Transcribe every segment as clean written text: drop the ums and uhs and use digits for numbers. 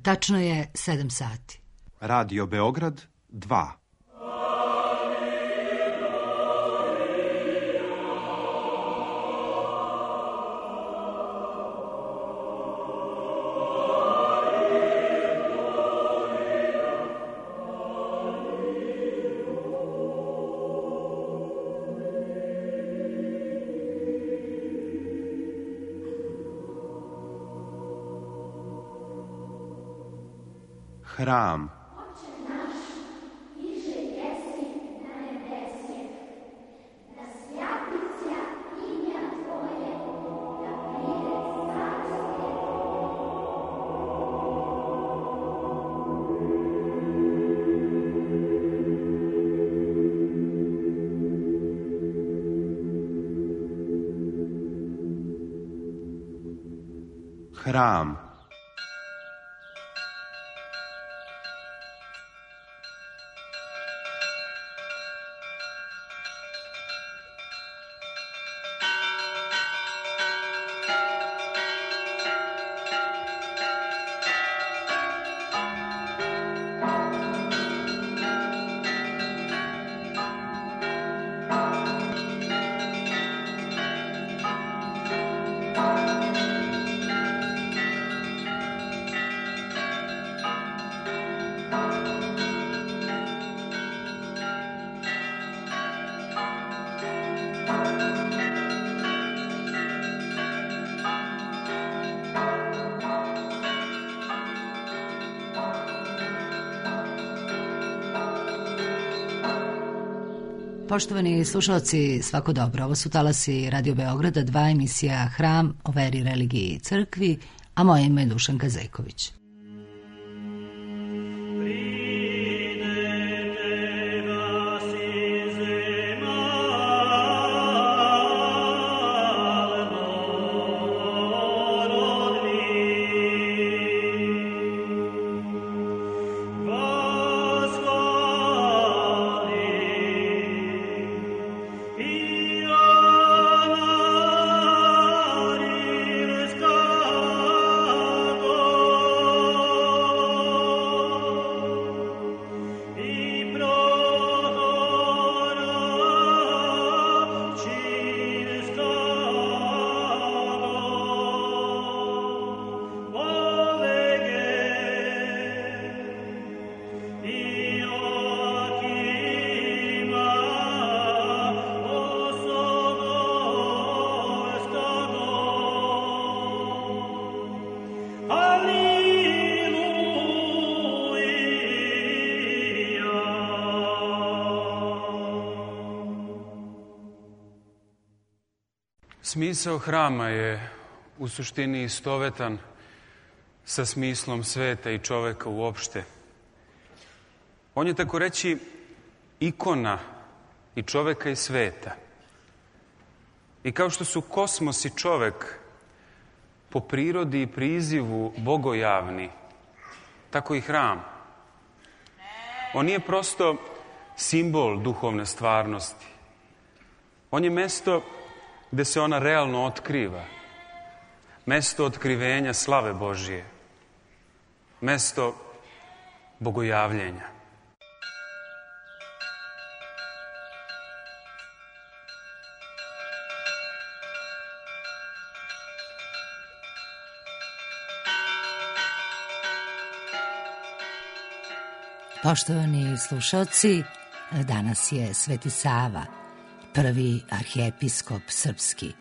Tačno je 7 sati. Radio Beograd 2. Hram. Hram. Poštovani slušalci, svako dobro. Ovo su talasi Radio Beograda 2, emisija Hram o veri, religiji i crkvi, a moje ime je Dušanka Zejković. Smisao hrama je u suštini istovetan sa smislom sveta i čoveka uopšte. On je, tako reći, ikona i čoveka i sveta. I kao što su kosmos i čovek po prirodi i prizivu bogojavni, tako i hram. On nije prosto simbol duhovne stvarnosti. On je mesto gde se ona realno otkriva. Mesto otkrivenja slave Božije. Mesto bogojavljenja. Poštovani slušalci, danas je Sveti Sava, prvi arhijepiskop srpski.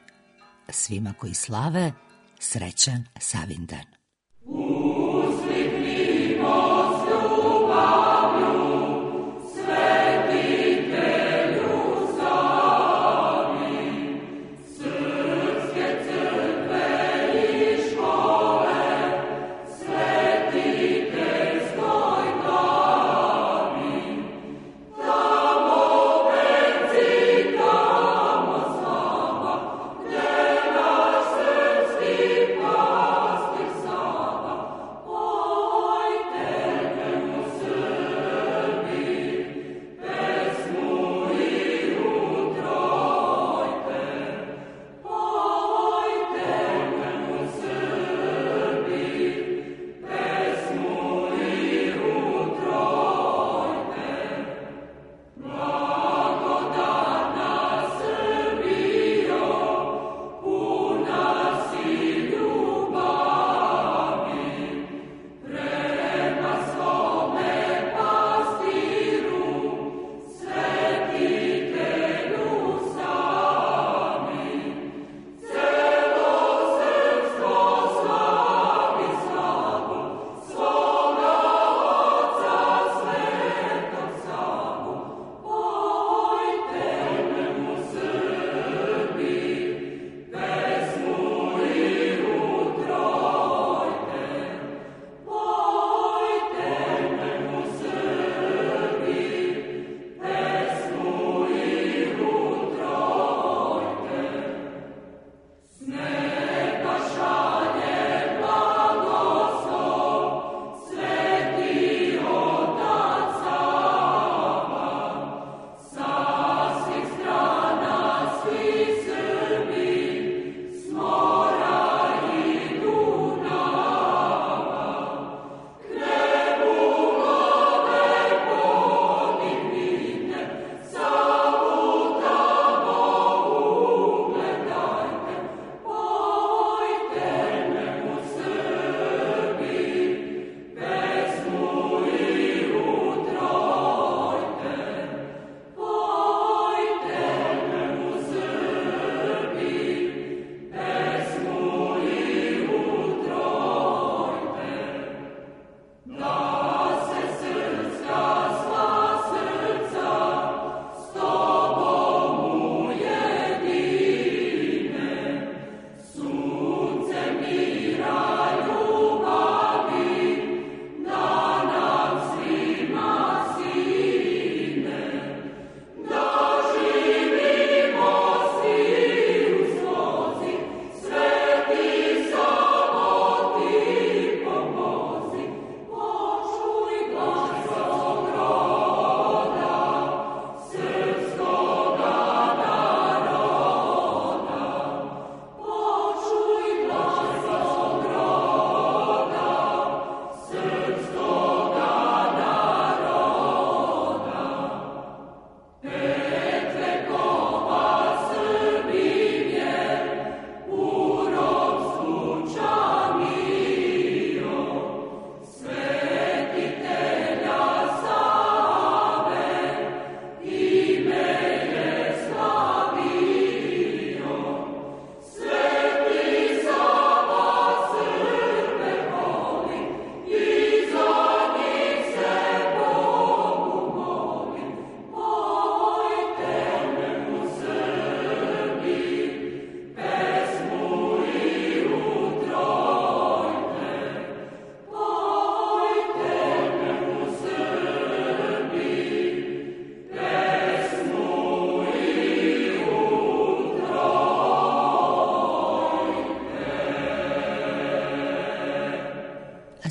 Svima koji slave, srećan Savindan. Srpski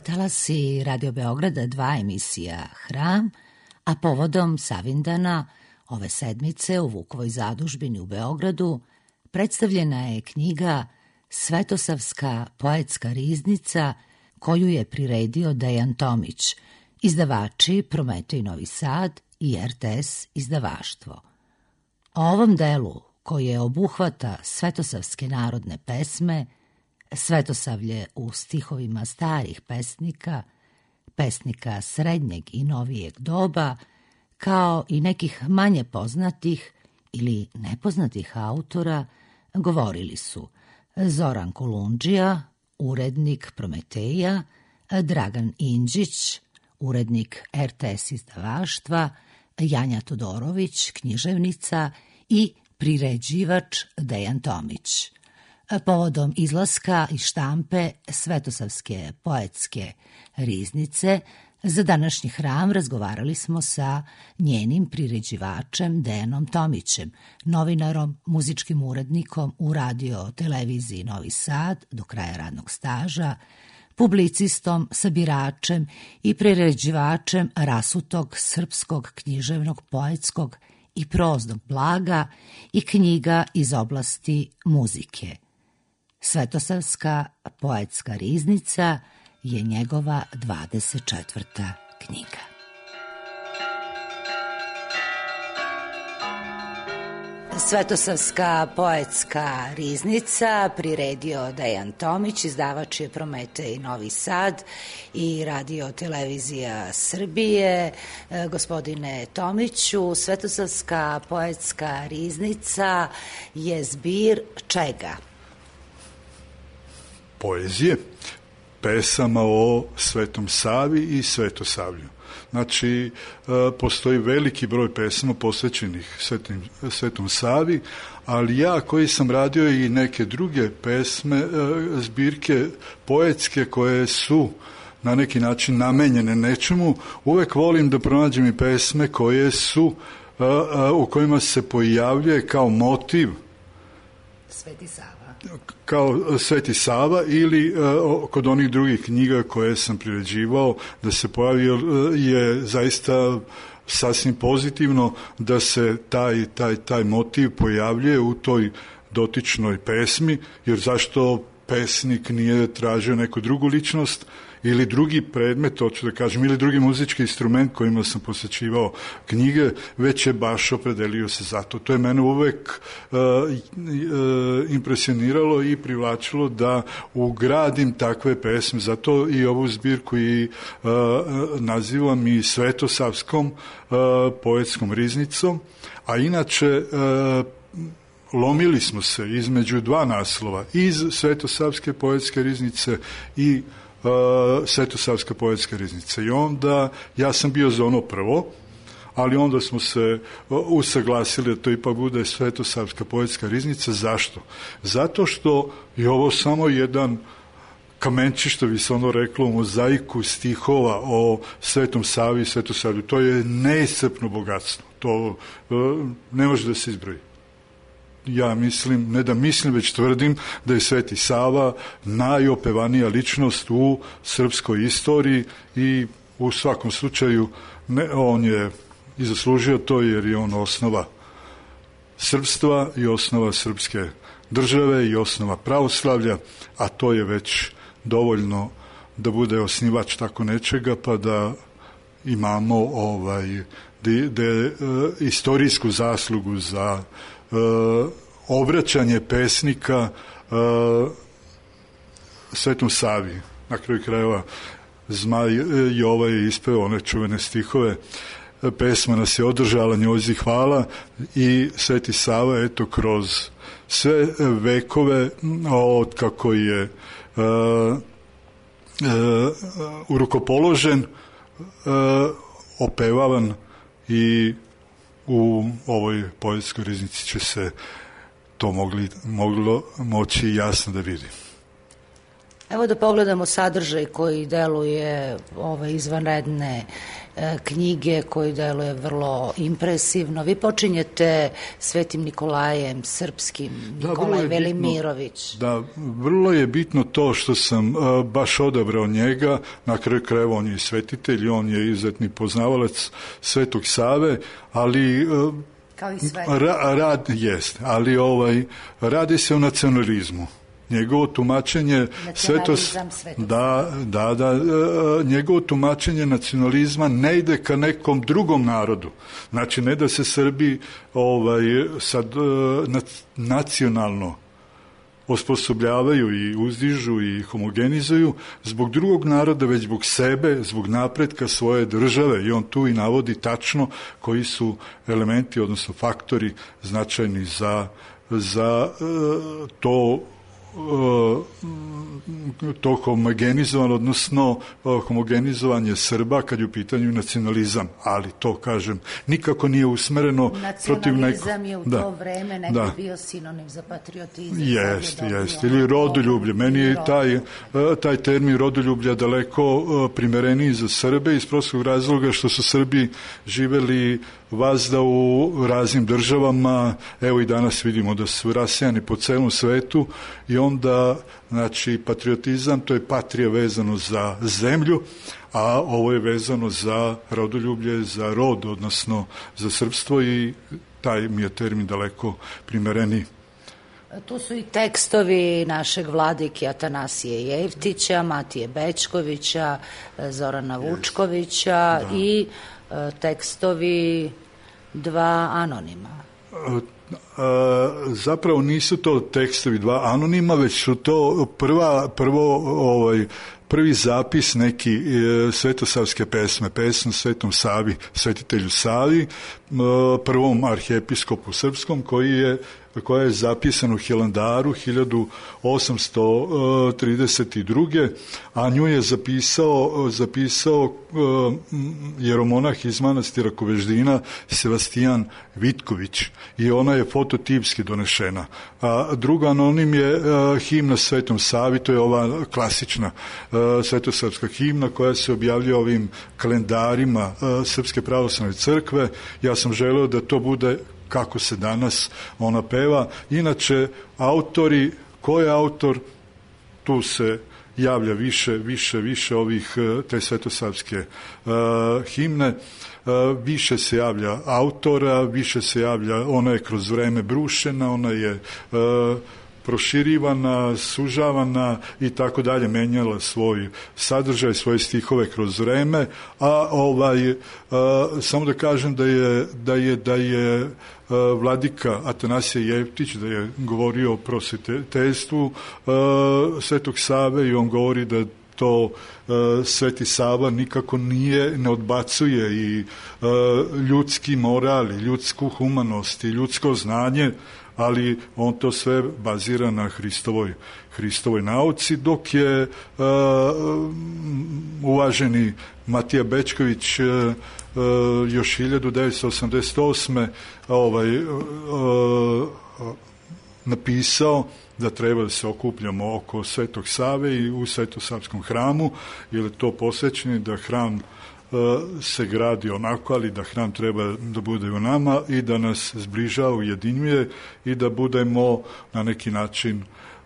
Talasi Radio Beograda 2 emisija Hram, a povodom Savindana ove sedmice u Vukovoj zadužbini u Beogradu predstavljena je knjiga Svetosavska poetska riznica koju je priredio Dejan Tomić, izdavači Prometej Novi Sad i RTS izdavaštvo. O ovom delu, koje obuhvata svetosavske narodne pesme, Svetosavlje u stihovima starih pesnika, pesnika srednjeg i novijeg doba, kao i nekih manje poznatih ili nepoznatih autora, govorili su Zoran Kolundžija, urednik Prometeja, Dragan Indžić, urednik RTS izdavaštva, Janja Todorović, književnica i priređivač Dejan Tomić. Povodom izlaska iz štampe Svetosavske poetske riznice za današnji Hram razgovarali smo sa njenim priređivačem Dejanom Tomićem, novinarom, muzičkim urednikom u radio televiziji Novi Sad do kraja radnog staža, publicistom, sabiračem i priređivačem rasutog srpskog književnog, poetskog i proznog blaga i knjiga iz oblasti muzike. Svetosavska poetska riznica je njegova 24. knjiga. Svetosavska poetska riznica priredio Dejan Tomić, izdavač je Prometej Novi Sad i radio televizija Srbije. Gospodine Tomiću, Svetosavska poetska riznica je zbir čega? Poezije, pesama o Svetom Savi i Svetosavlju. Znači, postoji veliki broj pesama posvećenih Svetom Savi, ali ja koji sam radio i neke druge pesme, zbirke poetske koje su na neki način namenjene nečemu, uvek volim da pronađem i pesme koje su, u kojima se pojavljuje kao motiv Sveti Sava. Kao Sveti Sava ili kod onih drugih knjiga koje sam priređivao da se pojavi, je zaista sasvim pozitivno da se taj motiv pojavljuje u toj dotičnoj pesmi, jer zašto pesnik nije tražio neku drugu ličnost ili drugi predmet, hoću da kažem, ili drugi muzički instrument kojima sam posvećivao knjige, već je baš opredelio se za to. To je mene uvek impresioniralo i privlačilo da ugradim takve pesme. Zato i ovu zbirku i nazivam i Svetosavskom poetskom riznicom, a inače lomili smo se između dva naslova, iz Svetosavske poetske riznice i Svetosavska poetska riznica. I onda ja sam bio za ono prvo, ali onda smo se usaglasili da to ipak bude Svetosavska poetska riznica. Zašto? Zato što je ovo samo jedan kamenčić, što bi se ono reklo, u mozaiku stihova o Svetom Savi i Svetosavlju. To je neiscrpno bogatstvo. To ne može da se izbroji. Ja mislim, ne da mislim, već tvrdim da je Sveti Sava najopevanija ličnost u srpskoj istoriji i u svakom slučaju on je i zaslužio to, jer je on osnova srpstva i osnova srpske države i osnova pravoslavlja, a to je već dovoljno da bude osnivač tako nečega, pa da imamo istorijsku zaslugu za obraćanje pesnika Svetom Savi. Na kraju krajeva Zmaj Jova je ispeo one čuvene stihove, pesma nas je održala, njoj hvala, i Sveti Sava, eto, kroz sve vekove od kako je urukopoložen, opevavan, i u ovoj poetskoj riznici će se to moglo moći jasno da vidi. Evo da pogledamo sadržaj koji deluje ove izvanredne knjige, koji deluje vrlo impresivno. Vi počinjete Svetim Nikolajem Srpskim, Nikolaj Velimirović. Da, vrlo je bitno to što sam baš odabrao njega, na kraju krajeva on je svetitelj, on je izuzetni poznavalac Svetog Save, ali kao i sve. Radi se o nacionalizmu. Njegovo tumačenje njegovo tumačenje nacionalizma ne ide ka nekom drugom narodu. Znači, ne da se Srbi sad nacionalno osposobljavaju i uzdižu i homogenizuju zbog drugog naroda, već zbog sebe, zbog napretka svoje države, i on tu i navodi tačno koji su elementi, odnosno faktori značajni za to homogenizovanje, odnosno homogenizovanje Srba kad je u pitanju nacionalizam, ali to, kažem, nikako nije usmereno protiv nekog. Nacionalizam je u to vreme negdje bio sinonim za patriotizam. Jeste, ili rodoljublje. Meni je taj termin rodoljublja daleko primereniji za Srbe iz prostog razloga što su Srbi živeli vazda u raznim državama, evo i danas vidimo da su rasijani po celom svetu, i onda, znači, patriotizam, to je patrija vezano za zemlju, a ovo je vezano za rodoljublje, za rod, odnosno za srpstvo, i taj mi je termin daleko primereniji. Tu su i tekstovi našeg vladike Atanasije Jevtića, Matije Bećkovića, Zorana Vučkovića i tekstovi dva anonima. Zapravo nisu to tekstovi dva anonima, već su to prvi zapis neki svetosavske pesme Svetom Savi, svetitelju Savi, prvom arhijepiskopu srpskom, koja je zapisana u Hilandaru 1832. a nju je zapisao jeromonah iz manastira Koveždina Sebastijan Vitković, i ona je fototipski donešena. A druga anonim je himna Svetom Savi, to je ova klasična svetosavska himna koja se objavljuje ovim kalendarima Srpske pravoslavne crkve. Ja sam želeo da to bude kako se danas ona peva. Inače, autori, ko je autor, tu se javlja više ovih te svetosavske himne, više se javlja autora, više se javlja, ona je kroz vreme brušena, ona je proširivana, sužavana i tako dalje, menjala svoj sadržaj, svoje stihove kroz vreme, a samo da kažem da je vladika Atanasije Jevtić, da je govorio o prosvetiteljstvu Svetog Save, i on govori da to Sveti Sava nikako ne odbacuje i ljudski moral, ljudsku humanost i ljudsko znanje, ali on to sve bazira na Hristovoj nauci, dok je uvaženi Matija Bećković još 1988. napisao da treba da se okupljamo oko Svetog Save i u Svetosavskom hramu, jer je to posvećeno da hram se gradi onako, ali da hram treba da bude u nama i da nas zbližava, ujedinjuje i da budemo na neki način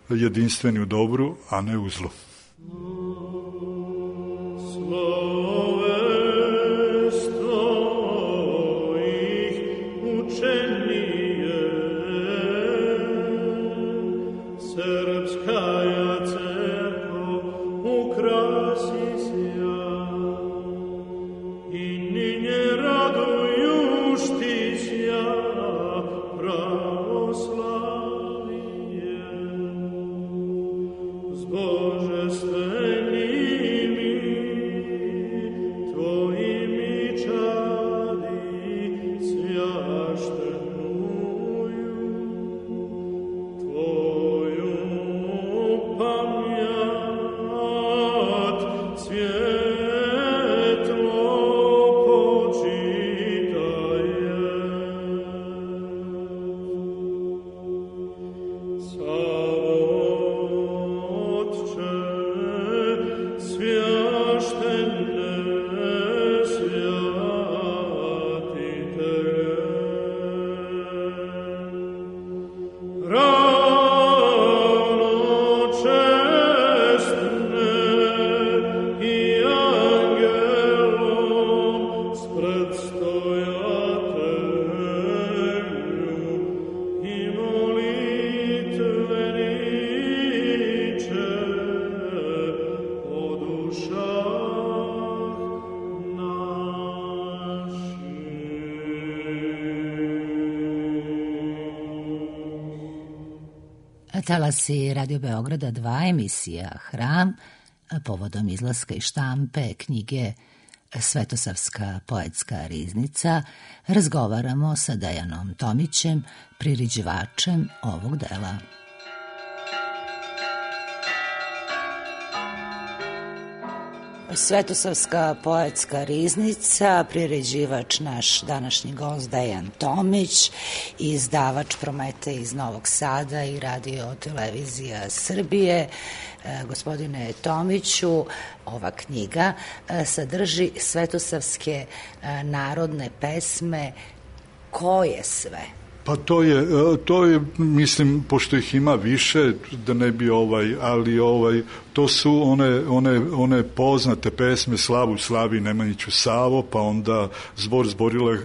jedinstveni u dobru, a ne u zlu. Bože, Talasi Radio Beograda 2, emisija Hram, povodom izlaska iz štampe knjige Svetosavska poetska riznica, razgovaramo sa Dejanom Tomićem, priređivačem ovog dela. Svetosavska poetska riznica, priređivač naš današnji gost Dejan Tomić, izdavač Prometej iz Novog Sada i Radio televizija Srbije. Gospodine Tomiću, ova knjiga sadrži svetosavske narodne pesme. Koje sve? Pa to je, mislim, pošto ih ima više, da ne bi ali to su one poznate pesme Slavu slavi Nemanjiću Savo, pa onda Zbor zborila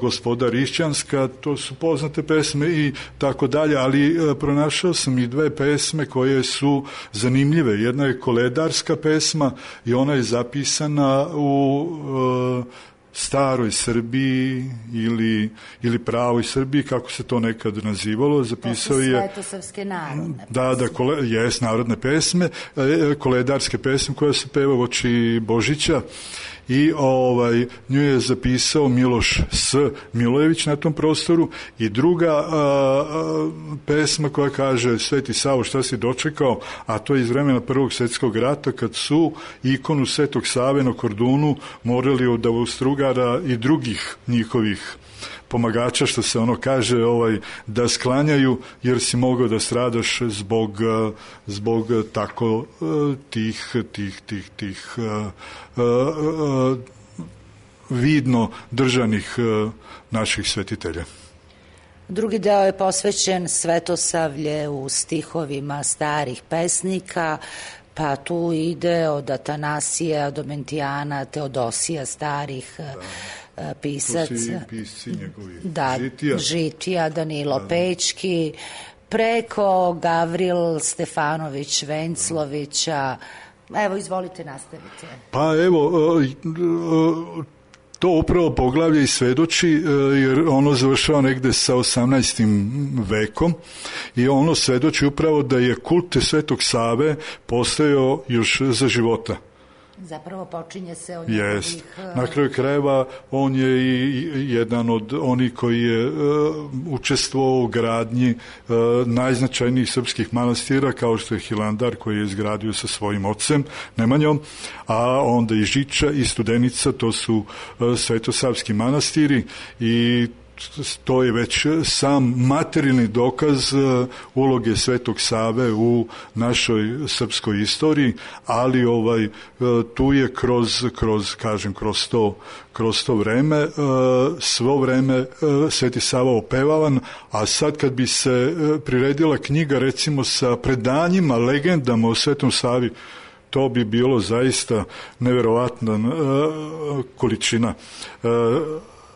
gospoda Rišćanska, to su poznate pesme i tako dalje, ali pronašao sam i dve pesme koje su zanimljive. Jedna je koledarska pesma i ona je zapisana u staroj Srbiji ili pravoj Srbiji, kako se to nekad nazivalo, zapisao je... To su svetosavske narodne pesme. Jes, narodne pesme, koledarske pesme koje se peva uoči Božića i nju je zapisao Miloš S. Milojević na tom prostoru i druga pesma koja kaže Sveti Savo šta si dočekao, a to je iz vremena Prvog svjetskog rata kad su ikonu Svetog Save na Kordunu morali od Austrugara i drugih njihovih pomagača, što se ono kaže, da sklanjaju jer si mogao da stradaš zbog tako tih vidno držanih naših svetitelja. Drugi deo je posvećen Svetosavlje u stihovima starih pesnika, pa tu ide od Atanasija, Domentijana, Teodosija, starih pisaca. Tu su i pisci njegovi. Da, Žitija, Danilo Pećki, preko Gavril Stefanović, Venclovića. Evo, izvolite, nastavite. Pa evo, to upravo poglavlje i svedoči, jer ono završava negde sa 18. vekom i ono svedoči upravo da je kult Svetog Save postojao još za života. Zapravo počinje se od njegovih... Na kraju krajeva on je i jedan od onih koji je učestvovao u gradnji najznačajnijih srpskih manastira, kao što je Hilandar koji je izgradio sa svojim ocem Nemanjom, a onda i Žiča i Studenica, to su svetosavski manastiri i to je već sam materijalni dokaz uloge Svetog Save u našoj srpskoj istoriji, ali tu je kroz to vreme, svo vreme Sveti Sava opevavan, a sad kad bi se priredila knjiga recimo sa predanjima, legendama o Svetom Savi, to bi bilo zaista neverovatna količina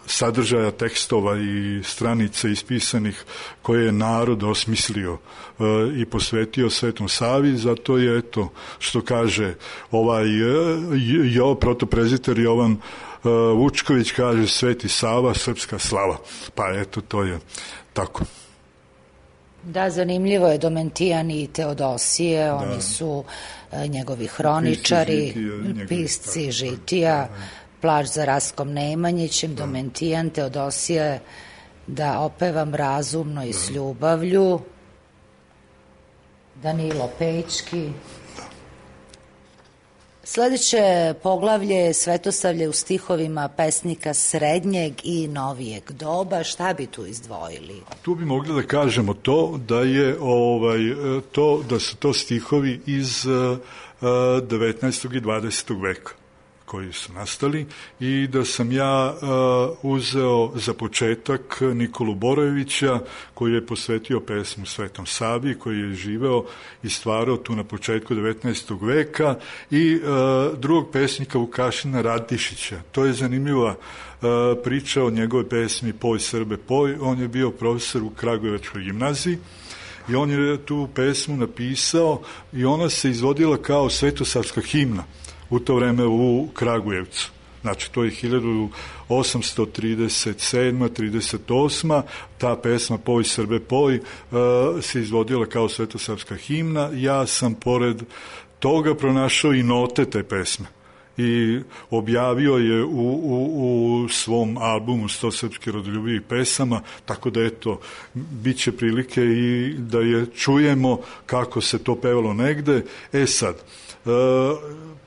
sadržaja tekstova i stranica ispisanih koje je narod osmislio i posvetio Svetom Savi, zato je eto što kaže protopreziter Jovan Vučković, kaže Sveti Sava, srpska slava. Pa eto, to je tako. Da, zanimljivo je Domentijan i Teodosije, oni su njegovi hroničari, pisci Žitija, Plač za Raskom Nemanjićem, Domentijan, Teodosije, da opevam razumno i s ljubavlju, Danilo Pećki. Sledeće poglavlje je Svetosavlje u stihovima pesnika srednjeg i novijeg doba. Šta bi tu izdvojili? Tu bi mogli da kažemo to da je da su to stihovi iz 19. i 20. veka koji su nastali i da sam ja uzeo za početak Nikolu Borojevića koji je posvetio pesmu Svetom Savi, koji je živeo i stvarao tu na početku 19. veka i drugog pesnika Vukašina Radišića. To je zanimljiva priča o njegove pesmi Poj Srbe poj. On je bio profesor u Kragujevačkoj gimnaziji i on je tu pesmu napisao i ona se izvodila kao svetosavska himna u to vreme u Kragujevcu. Znači, to je 1837. 38. Ta pesma Poj Srbe poj se izvodila kao svetosavska himna. Ja sam pored toga pronašao i note te pesme i objavio je u svom albumu 100 srpskih rodoljubivih pesama, tako da eto, bit će prilike i da je čujemo kako se to pevalo negde. Sad,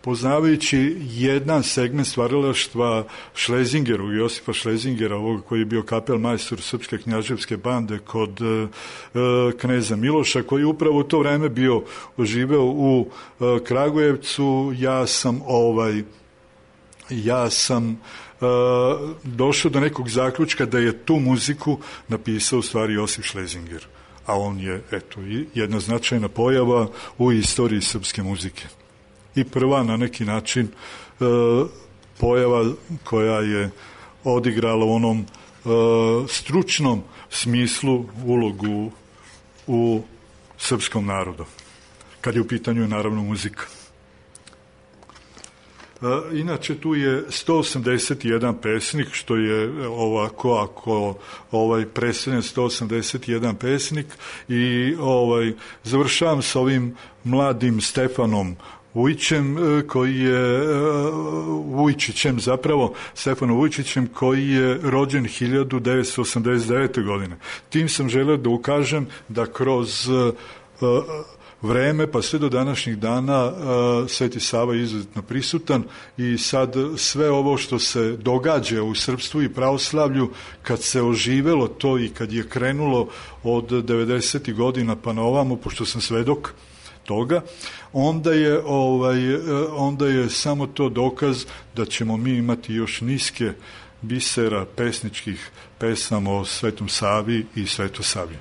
poznavajući jedan segment stvaralaštva Šlezingeru, Josipa Šlezingera, ovog koji je bio kapelmajstor Srpske knjaževske bande kod kneza Miloša, koji je upravo u to vreme bio živeo u Kragujevcu, ja sam došao do nekog zaključka da je tu muziku napisao u stvari Josip Šlezinger, a on je, eto, jedna značajna pojava u istoriji srpske muzike. I prva na neki način pojava koja je odigrala u onom stručnom smislu ulogu u srpskom narodu, kad je u pitanju naravno muzika. Inače, tu je 181 pesnik, što je ovako, ako predstavljen 181 pesnik, i završavam sa ovim mladim Stefanom Stefanom Vujčićem, koji je rođen 1989. godine. Tim sam želeo da ukažem da kroz vreme, pa sve do današnjih dana, Sveti Sava je izuzetno prisutan i sad sve ovo što se događa u srpstvu i pravoslavlju, kad se oživelo to i kad je krenulo od 90. godina pa na ovamo, pošto sam svedok toga, onda je samo to dokaz da ćemo mi imati još niske bisera pesničkih pesama o Svetom Savi i Svetosavlju.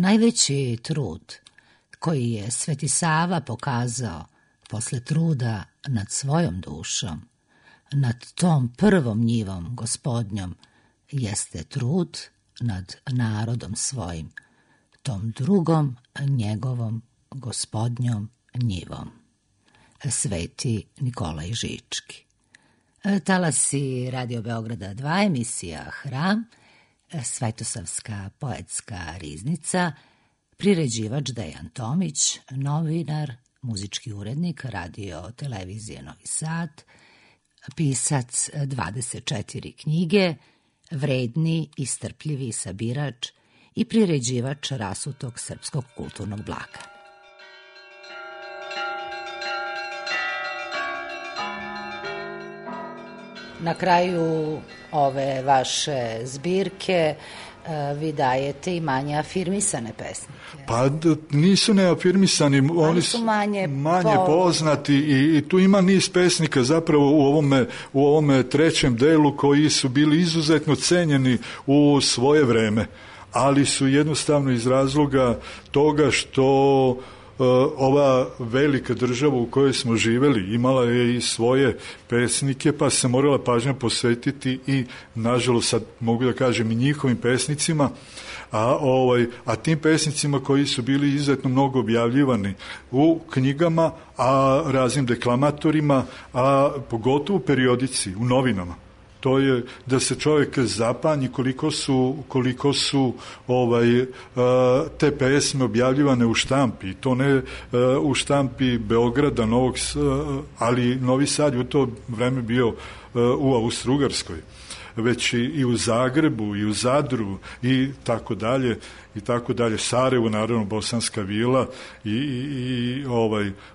Najveći trud koji je Sveti Sava pokazao posle truda nad svojom dušom, nad tom prvom njivom Gospodnjom, jeste trud nad narodom svojim, tom drugom njegovom Gospodnjom njivom. Sveti Nikolaj Žički. Talasi Radio Beograda 2, emisija Hram, Svetosavska poetska riznica, priređivač Dejan Tomić, novinar, muzički urednik Radio Televizije Novi Sad, pisac 24 knjige, vredni i strpljivi sabirač i priređivač rasutog srpskog kulturnog blaga. Na kraju ove vaše zbirke vi dajete i manje afirmisane pesnike. Pa nisu neafirmisani, oni su manje poznati i tu ima niz pesnika zapravo u ovome trećem delu koji su bili izuzetno cenjeni u svoje vreme, ali su jednostavno iz razloga toga što ova velika država u kojoj smo živeli imala je i svoje pesnike, pa se morala pažnja posvetiti i, nažalost, sad mogu da kažem, i njihovim pesnicima, a tim pesnicima koji su bili izuzetno mnogo objavljivani u knjigama, a raznim deklamatorima, a pogotovo u periodici, u novinama. To je da se čovjek zapanji koliko su te pesme objavljivane u štampi. To ne u štampi Beograda, ali Novi Sad je u to vreme bio u Austrougarskoj, već i u Zagrebu, i u Zadru, i tako dalje, i tako dalje. Sarajevo, naravno, Bosanska Vila i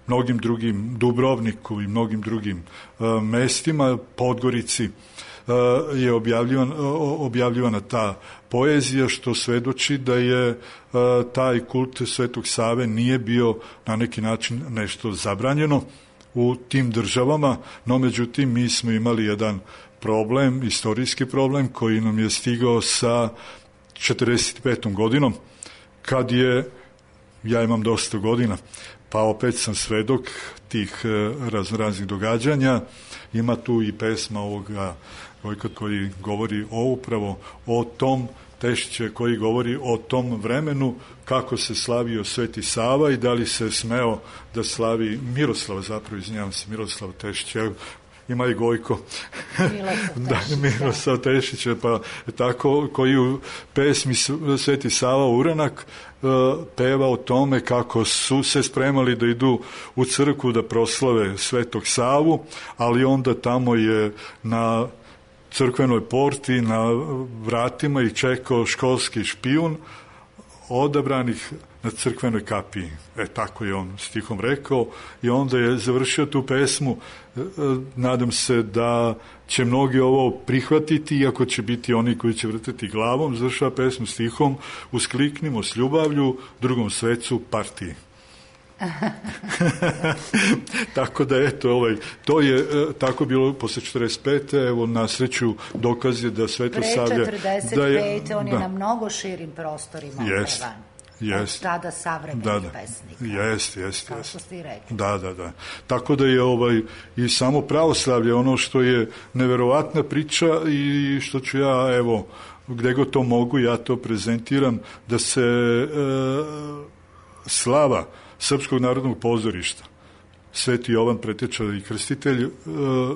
mnogim drugim, Dubrovniku i mnogim drugim mestima, Podgorici, je objavljivana ta poezija, što svedoči da je taj kult Svetog Save nije bio na neki način nešto zabranjeno u tim državama, no međutim mi smo imali jedan problem, istorijski problem koji nam je stigao sa 45. godinom, kad je, ja imam dosta godina, pa opet sam svedok tih raznih događanja. Ima tu i pesma ovoga koji govori upravo o tom Tešića, koji govori o tom vremenu kako se slavio Sveti Sava i da li se smeo da slavi Miroslav Tešić, ima i Gojko Miroslav Tešića, pa tako, koji u pesmi Sveti Sava Uranak peva o tome kako su se spremali da idu u crkvu da proslave Svetog Savu, ali onda tamo je na crkvenoj porti, na vratima ih čekao školski špijun odabranih na crkvenoj kapiji. Tako je on stihom rekao i onda je završio tu pesmu. Nadam se da će mnogi ovo prihvatiti, iako će biti oni koji će vrteti glavom. Završava pesmu stihom: uskliknimo s ljubavlju drugom svecu partiji. Tako da eto, to je tako bilo posle 45. Evo, na sreću dokaz je da Svetosavlje... Pre 45. On je na mnogo širim prostorima opevan. Od tada savremenih pesnika. Jest. Kao što ste i rekli. Da. Tako da je i samo pravoslavlje ono što je neverovatna priča i što ću ja, evo, gde god to mogu, ja to prezentiram, da se slava Srpskog narodnog pozorišta, Sveti Jovan Preteča i Krstitelj,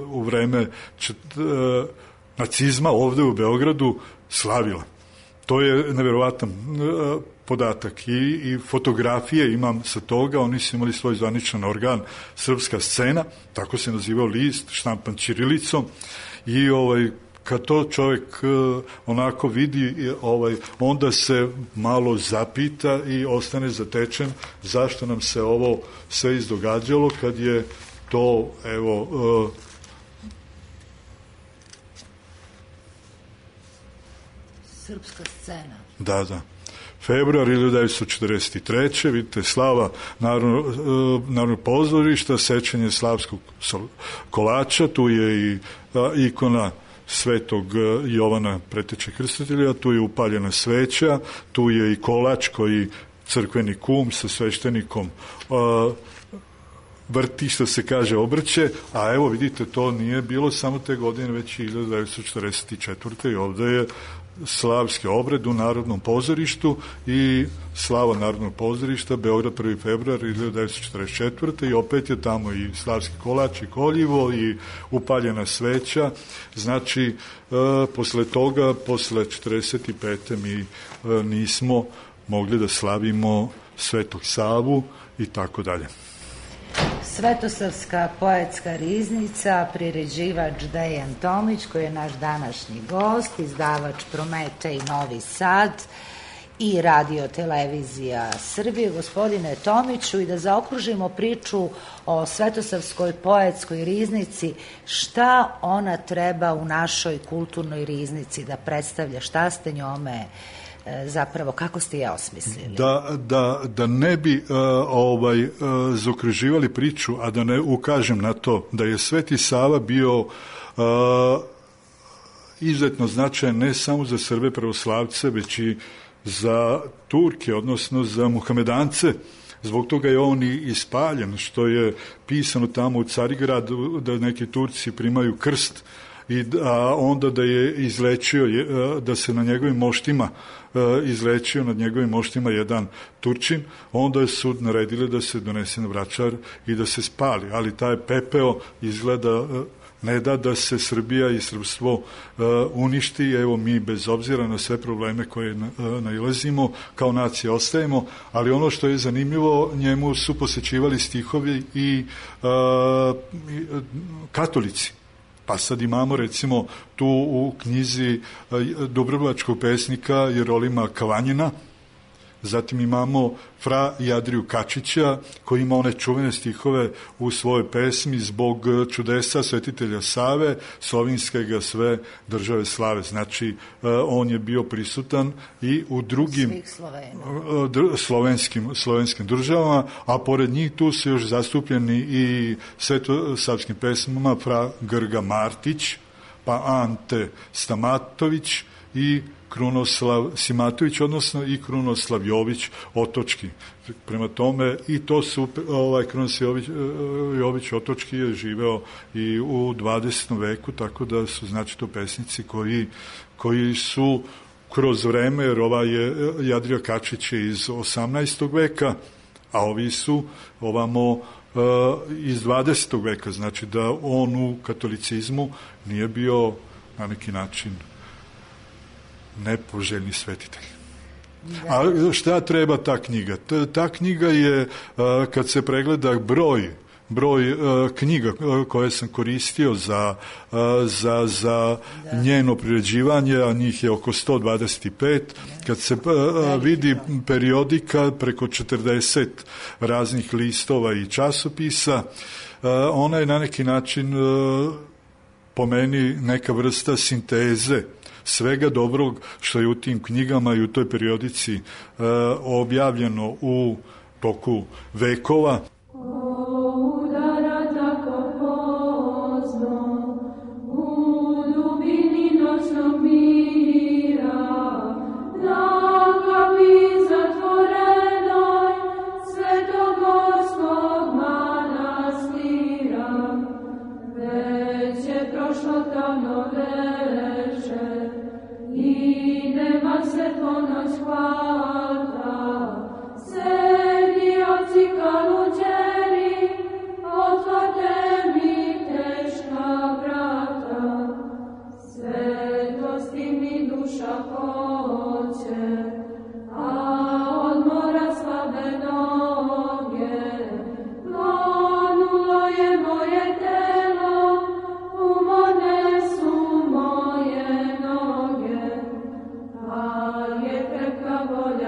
u vreme nacizma ovde u Beogradu slavila. To je neverovatan podatak i fotografije imam sa toga. Oni su imali svoj zvaničan organ Srpska scena, tako se nazivao list, štampan ćirilicom, i kad to čovjek onako vidi, onda se malo zapita i ostane zatečen zašto nam se ovo sve izdogađalo, kad je to, evo, Srpska scena. Da. Februar 1943. Vidite, slava Narodnog pozorišta, sećanje slavskog kolača, tu je i ikona Svetog Jovana Preteče Krstitelja, tu je upaljena sveća, tu je i kolač koji crkveni kum sa sveštenikom vrti, što se kaže, obrće, a evo vidite, to nije bilo samo te godine, već 1944. i ovde je slavski obred u Narodnom pozorištu i slava Narodnog pozorišta, Beograd 1. februar 1944. i opet je tamo i slavski kolač i koljivo i upaljena sveća. Znači, posle toga, posle 45. mi nismo mogli da slavimo Svetog Savu i tako dalje. Svetosavska poetska riznica, priređivač Dejan Tomić, koji je naš današnji gost, izdavač Prometej Novi Sad i Radio Televizija Srbije. Gospodine Tomiću, i da zaokružimo priču o Svetosavskoj poetskoj riznici, šta ona treba u našoj kulturnoj riznici da predstavlja, šta ste njome zapravo, kako ste je osmislili? Da ne bi zaokruživali priču, a da ne ukažem na to da je Sveti Sava bio izuzetno značajan ne samo za Srbe pravoslavce, već i za Turke, odnosno za Muhamedance. Zbog toga je on i ispaljen, što je pisano tamo u Carigradu, da neki Turci primaju krst, a onda da je izlečio, da se na njegovim moštima izlečio nad njegovim moštima jedan Turčin, onda je sud naredili da se donese na Vračar i da se spali, ali taj pepeo izgleda ne da se Srbija i srpstvo uništi. Evo, mi bez obzira na sve probleme koje nailazimo kao nacija ostajemo, ali ono što je zanimljivo, njemu su posvećivali stihovi i katolici. Pa sad imamo recimo tu u knjizi dubrovačkog pesnika Jerolima Kavanjina, zatim imamo fra Jadriju Kačića, koji ima one čuvene stihove u svojoj pesmi zbog čudesa svetitelja Save, slovinske ga sve države slave. Znači, on je bio prisutan i u drugim slovenskim državama, a pored njih tu su još zastupljeni i svetosavskim pesmama fra Grga Martić, pa Ante Stamatović i Krunoslav Simatović, odnosno i Krunoslav Jović Otočki. Prema tome, i to su, Krunoslav Jović Otočki je živeo i u 20. veku, tako da su, znači, to pesnici koji su kroz vreme, jer Jadrija Kačić je iz 18. veka, a ovi su ovamo iz 20. veka, znači da on u katolicizmu nije bio na neki način nepoželjni svetitelj. A šta treba ta knjiga? Ta knjiga je, kad se pregleda broj knjiga koje sam koristio za njeno priređivanje, a njih je oko 125, kad se vidi periodika preko 40 raznih listova i časopisa, ona je na neki način po meni neka vrsta sinteze svega dobrog što je u tim knjigama i u toj periodici objavljeno u toku vekova. Volja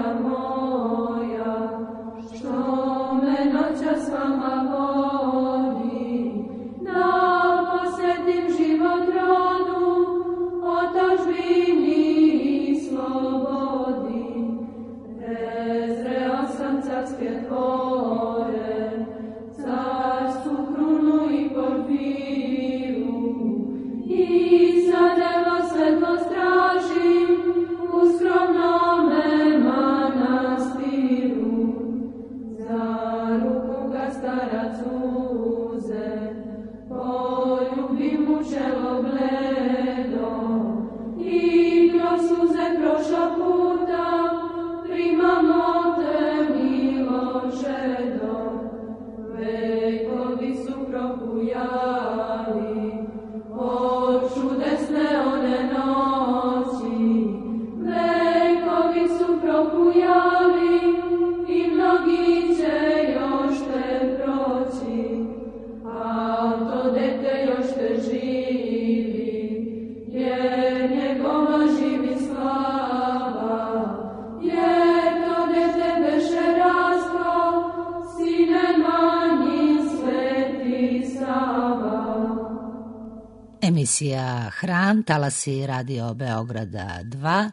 Emisija Hram, talasi Radio Beograda 2.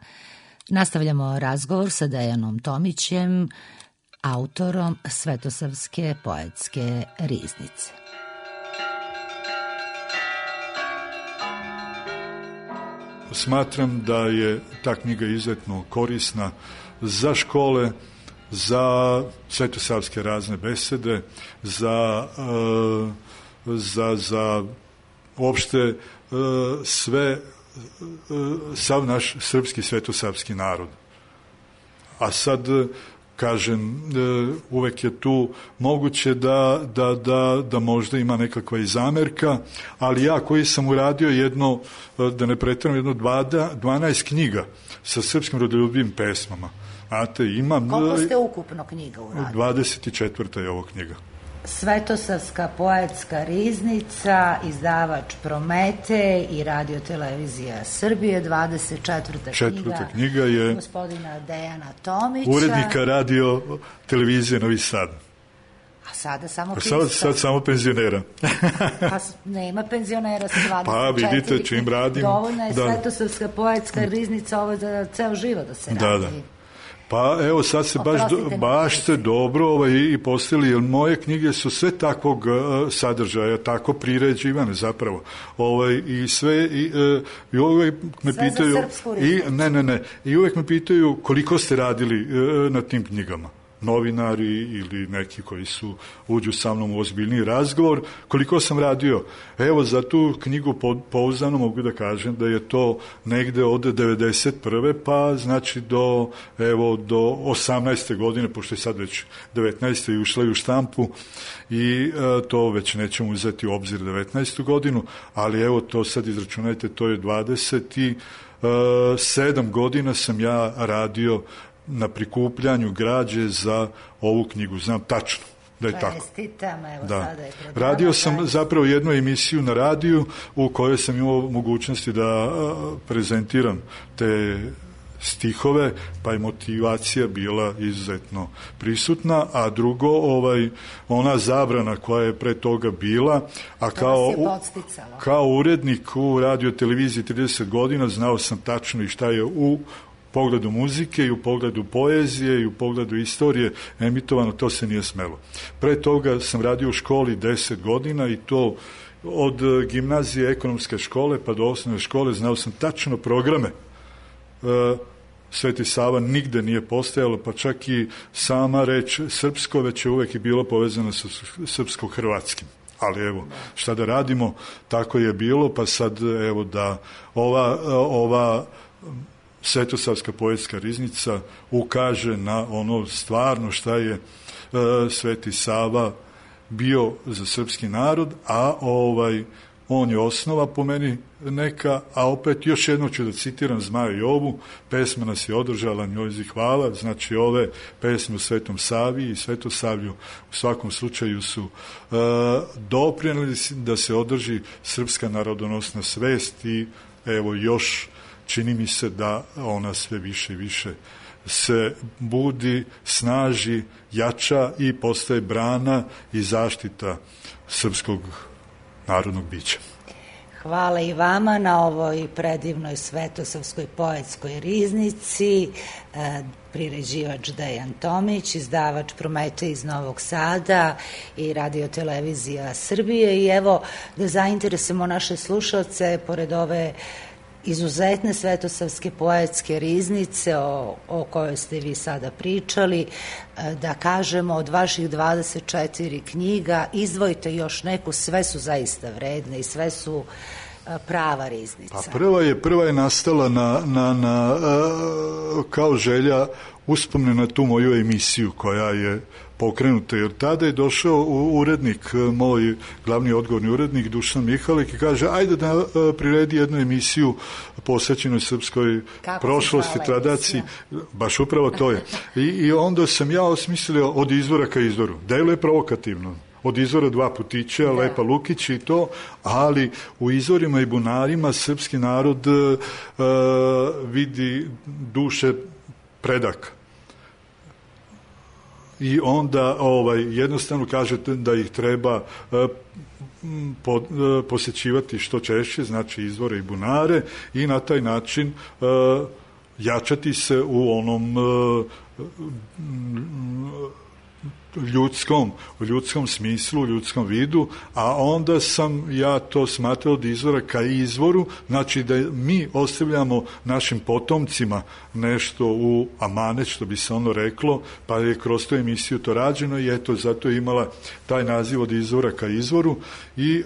Nastavljamo razgovor sa Dejanom Tomićem, autorom Svetosavske poetske riznice. Smatram da je ta knjiga izuzetno korisna za škole, za svetosavske razne besede, za uopšte sav naš srpski svetosavski narod. A sad, kažem, uvek je tu moguće da možda ima nekakva i zamerka, ali ja koji sam uradio jedno, da ne pretjeram, jedno 12 knjiga sa srpskim rodoljubivim pesmama. Znate, imam... Koliko ste ukupno knjiga uradili? 24. je ovo knjiga. Svetosavska poetska riznica, izdavač Promete i Radio-televizija Srbije, 24. knjiga je gospodina Dejana Tomića, urednika Radio-televizije Novi Sad. A sada samo sad samo penzionera. Pa nema penzionera sa 24. Pa vidite čim radim. Dovoljna je Svetosavska poetska riznica, ovo za ceo život da se radi. Da. Pa evo sad se baš ste dobro i postavili, jer moje knjige su sve takvog sadržaja, tako priređivane zapravo. I sve i uvek me sve pitaju za srpsku riznicu. I uvek me pitaju koliko ste radili na tim knjigama. Novinari ili neki koji uđu sa mnom u ozbiljniji razgovor, koliko sam radio. Evo, za tu knjigu pouzdano mogu da kažem da je to negde od 91. pa znači do 18. godine, pošto je sad već 19. i ušla i u štampu i to već nećemo uzeti u obzir 19. godinu, ali evo to sad izračunajte, to je 27 godina sam ja radio na prikupljanju građe za ovu knjigu. Znam tačno da je tako. Sada je radio sam zapravo jednu emisiju na radiju u kojoj sam imao mogućnosti da prezentiram te stihove, pa je motivacija bila izuzetno prisutna, a drugo, ona zabrana koja je pre toga bila, a kao urednik u Radio-televiziji 30 godina znao sam tačno i šta je u pogledu muzike i u pogledu poezije i u pogledu istorije emitovano, to se nije smelo. Pre toga sam radio u školi 10 godina i to od gimnazije ekonomske škole pa do osnovne škole znao sam tačno programe. Sveti Sava nigde nije postojalo, pa čak i sama reč srpsko već je uvek i bilo povezano sa srpsko-hrvatskim. Ali evo, šta da radimo, tako je bilo, pa sad evo da ova Svetosavska poetska riznica ukaže na ono stvarno šta je Sveti Sava bio za srpski narod, a on je osnova po meni neka, a opet još jedno ću da citiram Zmaja Jovu, pesma nas je održala, njoj hvala, znači ove pesme u Svetom Savi i Svetosavlju u svakom slučaju su doprineli da se održi srpska narodonosna svest i evo još čini mi se da ona sve više i više se budi, snaži, jača i postaje brana i zaštita srpskog narodnog bića. Hvala i vama na ovoj predivnoj Svetosavskoj poetskoj riznici, priređivač Dejan Tomić, izdavač Promete iz Novog Sada i Radio-televizija Srbije. I evo da zainteresujemo naše slušalce, pored ove izuzetne Svetosavske poetske riznice o kojoj ste vi sada pričali, da kažemo od vaših 24 knjiga izdvojite još neku, sve su zaista vredne i sve su prava riznica. Pa prva je nastala kao želja uspomne na tu moju emisiju koja je pokrenuta, jer tada je došao urednik, moj glavni odgovorni urednik Dušan Mihalik i kaže ajde da priredi jednu emisiju posvećenoj srpskoj prošlosti, tradiciji, baš upravo to je. I onda sam ja osmislio od izvora ka izvoru. Deluje provokativno. Od izvora dva putića, Lepa Lukić i to, ali u izvorima i bunarima srpski narod vidi duše predaka. I onda jednostavno kažete da ih treba posjećivati što češće, znači izvore i bunare, i na taj način jačati se u onom ljudskom smislu, ljudskom vidu, a onda sam ja to smatrao od izvora ka izvoru, znači da mi ostavljamo našim potomcima nešto u amanet, što bi se ono reklo, pa je kroz tu emisiju to rađeno i eto, zato je imala taj naziv od izvora ka izvoru. I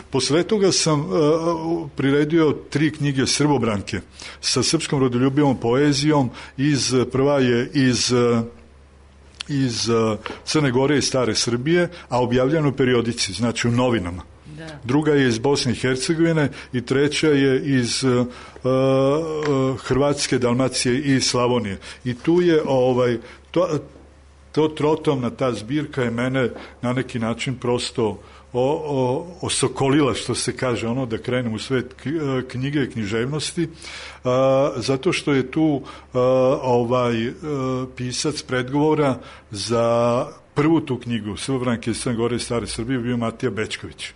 posle toga sam priredio 3 knjige Srbobranke sa srpskom rodoljubivom poezijom. Prva je iz Crne Gore i Stare Srbije, a objavljeno u periodici, znači u novinama. Da. Druga je iz Bosne i Hercegovine i treća je iz Hrvatske, Dalmacije i Slavonije. I tu je to trotomna ta zbirka je mene na neki način prosto osokolila, što se kaže, da krenem u svet knjige i književnosti, zato što je tu pisac predgovora za prvu tu knjigu Srbobranke iz Crne Gore i Stare Srbije bio Matija Bećković.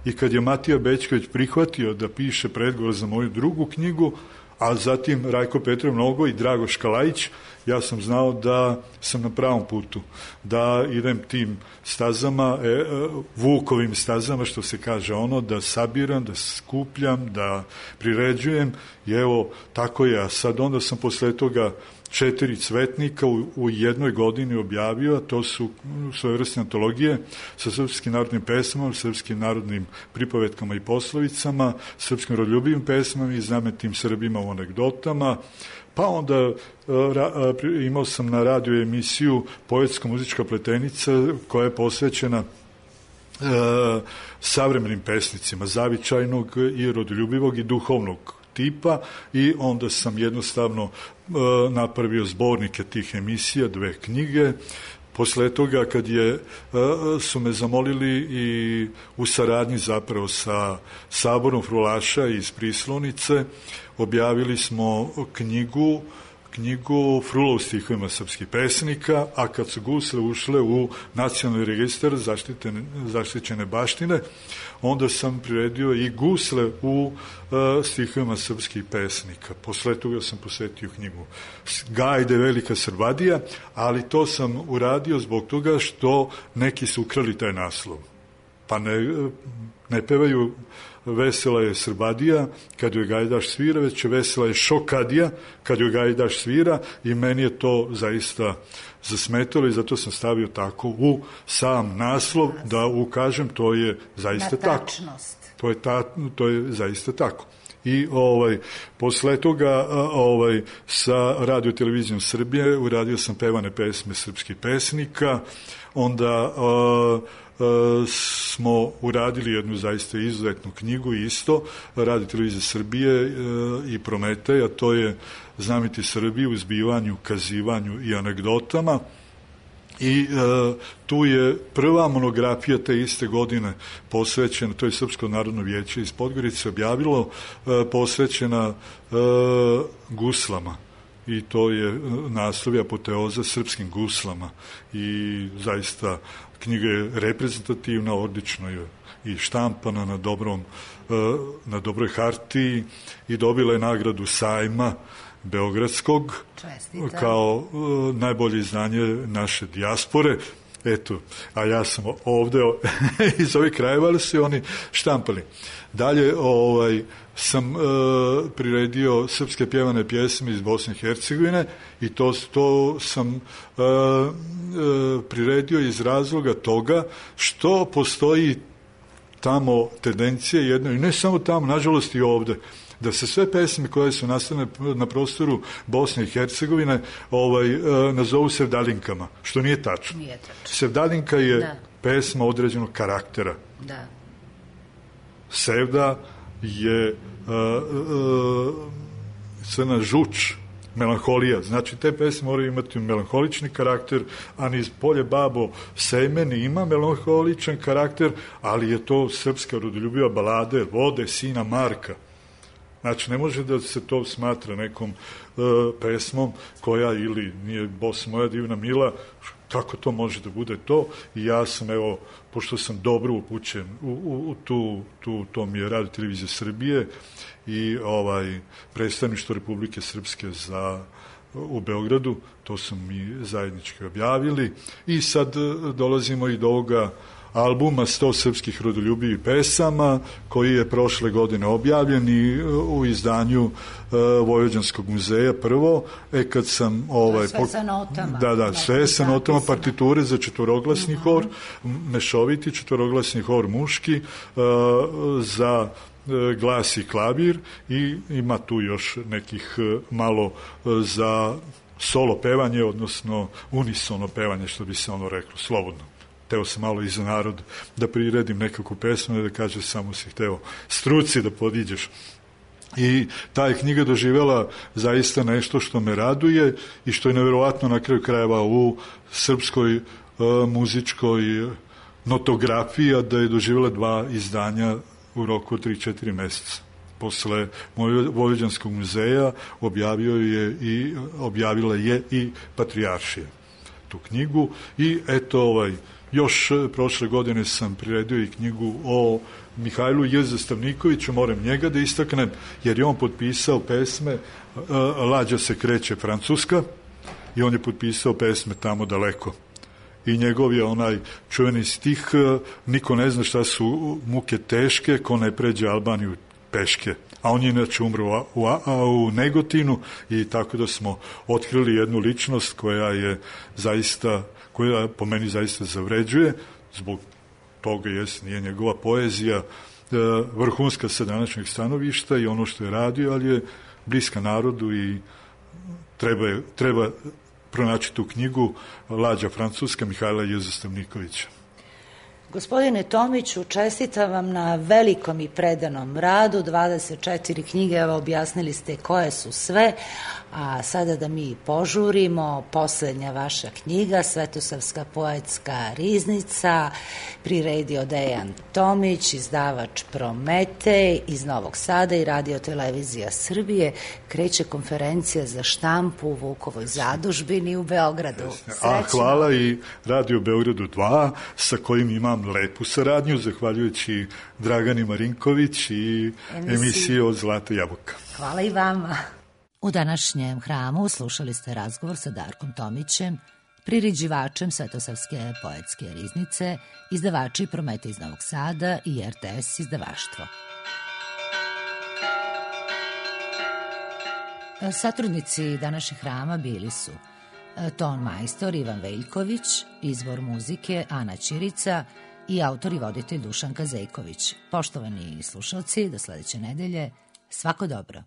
I kad je Matija Bećković prihvatio da piše predgovor za moju drugu knjigu, a zatim Rajko Petrov Nogo i Drago Škalajić, ja sam znao da sam na pravom putu, da idem tim stazama, Vukovim stazama, što se kaže, da sabiram, da skupljam, da priređujem, i evo, tako je. A sad onda sam posle toga 4 cvetnika u jednoj godini objavio, a to su svojevrsne antologije sa srpskim narodnim pesmama, srpskim narodnim pripovetkama i poslovicama, srpskim rodoljubivim pesmama i znamenim Srbima u anegdotama. Pa onda imao sam na radiju emisiju Poetsko-muzička pletenica, koja je posvećena savremenim pesnicima, zavičajnog i rodoljubivog i duhovnog tipa, i onda sam jednostavno napravio zbornike tih emisija, 2 knjige. Posle toga, kad su me zamolili i u saradnji zapravo sa Saborom frulaša iz Prislonice, objavili smo knjigu Frula u stihovima srpskih pesnika, a kad su gusle ušle u nacionalni registar zaštićene baštine, onda sam priredio i gusle u stihovima srpskih pesnika. Posle toga sam posvetio knjigu Gajde Velika Srbadija, ali to sam uradio zbog toga što neki su ukrali taj naslov. Pa ne pevaju Vesela je Srbadija kad joj Gajdaš svira, već vesela je Šokadija kad joj Gajdaš svira, i meni je to zaista zasmetalo i zato sam stavio tako u sam naslov da ukažem to je zaista tako. To je zaista tako. I posle toga sa Radio televizijom Srbije uradio sam pevane pesme srpskih pesnika, onda smo uradili jednu zaista izuzetnu knjigu isto, Radio televizije Srbije i Prometej, a to je Znameniti Srbi u zbivanju, kazivanju i anegdotama. I tu je prva monografija te iste godine posvećena, to je Srpsko narodno vijeće iz Podgorice objavilo, posvećena guslama. I to je naslov apoteoza srpskim guslama. I zaista knjiga je reprezentativna, odlično je i štampana na dobroj hartiji i dobila je nagradu sajma Beogradskog. Čestita. Kao najbolje izdanje naše dijaspore. Eto, a ja sam ovde iz ovih krajeva, ali su oni štampali. Dalje sam priredio srpske pjevane pjesme iz Bosne i Hercegovine i to sam priredio iz razloga toga što postoji tamo tendencija jedna, i ne samo tamo, nažalost i ovde, da se sve pesme koje su nastane na prostoru Bosne i Hercegovine nazovu sevdalinkama, što nije tačno. Sevdalinka je pesma određenog karaktera. Da. Sevda je crna žuč, melanholija. Znači, te pesme moraju imati melanholični karakter, a niz Polje babo Sejmeni ima melanholičan karakter, ali je to srpska rodoljubiva balada Vode sina Marka. Znači, ne može da se to smatra nekom pesmom koja ili nije Bos moja divna mila, kako to može da bude to? I ja sam, evo, pošto sam dobro upućen u to mi je Radio Televizija Srbije i predstavništvo Republike Srpske u Beogradu, to su mi zajednički objavili i sad dolazimo i do ovoga albuma 100 srpskih rodoljubivih pesama koji je prošle godine objavljen i u izdanju Vojvođanskog muzeja prvo, kad sam sve sa notama. Da, sve sa notama, partiture za četvoroglasni hor, mešoviti četvoroglasni hor muški, za glas i klavir i ima tu još nekih malo za solo pevanje, odnosno unisono pevanje, što bi se ono reklo, slobodno. Teo sam malo i za narod da priredim nekakvu pesmu i da kaže samo si hteo struci da podiđeš. I ta je knjiga doživjela zaista nešto što me raduje i što je neverovatno na kraju krajeva u srpskoj muzičkoj notografiji, a da je doživjela 2 izdanja u roku od 3-4 meseca. Posle Vojvođanskog muzeja objavila je i Patrijaršija tu knjigu i eto još prošle godine sam priredio i knjigu o Mihajlu J. Zastavnikoviću, moram njega da istaknem, jer je on potpisao pesme Lađa se kreće Francuska i on je potpisao pesme Tamo daleko. I njegov je onaj čuveni stih niko ne zna šta su muke teške ko ne pređe Albaniju peške. A on je inače umro u Negotinu i tako da smo otkrili jednu ličnost koja po meni zaista zavređuje, zbog toga nije njegova poezija vrhunska sa današnjeg stanovišta i ono što je radio, ali je bliska narodu i treba pronaći tu knjigu Lađa Francuska Mihajla J. Zastavnikovića. Gospodine Tomiću, čestitam vam na velikom i predanom radu, 24 knjige, evo objasnili ste koje su sve, a sada da mi požurimo, poslednja vaša knjiga, Svetosavska poetska riznica, priredio Dejan Tomić, izdavač Prometej iz Novog Sada i Radio Televizija Srbije, kreće konferencija za štampu u Vukovoj zadužbini u Beogradu. A hvala i Radio Beogradu 2, sa kojim imam lepu saradnju, zahvaljujući Dragani Marinković i emisiji od Zlata jabuka. Hvala i vama. U današnjem hramu slušali ste razgovor sa Darkom Tomićem, priređivačem Svetosavske poetske riznice, izdavači Prometej iz Novog Sada i RTS izdavaštvo. Satrudnici današnjeg hrama bili su ton majstor Ivan Veljković, izbor muzike Ana Ćirica i autor i voditelj Dušanka Zejković. Poštovani slušalci, do sledeće nedelje, svako dobro.